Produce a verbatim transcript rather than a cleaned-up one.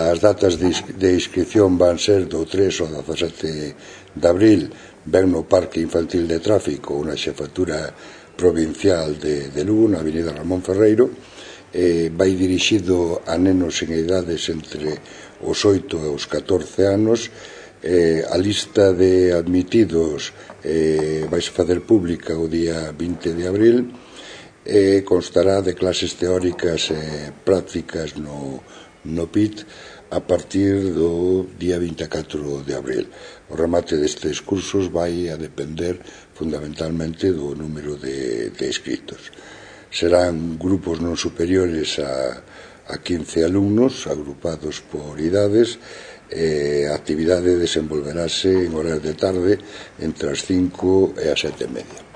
As datas de inscripción van ser do tres ao dezasete de abril, ben no Parque Infantil de Tráfico, unha xefatura provincial de, de Lugo, na avenida Ramón Ferreiro. Eh, vai dirixido a nenos en idades entre os oito e os catorce anos. Eh, a lista de admitidos eh, vai se facer pública o día vinte de abril e eh, constará de clases teóricas e prácticas no, no P I T a partir do día vinte e catro de abril. O remate destes cursos vai a depender fundamentalmente do número de, de inscritos. Serán grupos non superiores a, a quince alumnos, agrupados por idades. Eh, a actividade desenvolverase en horas de tarde entre as cinco e as sete e media.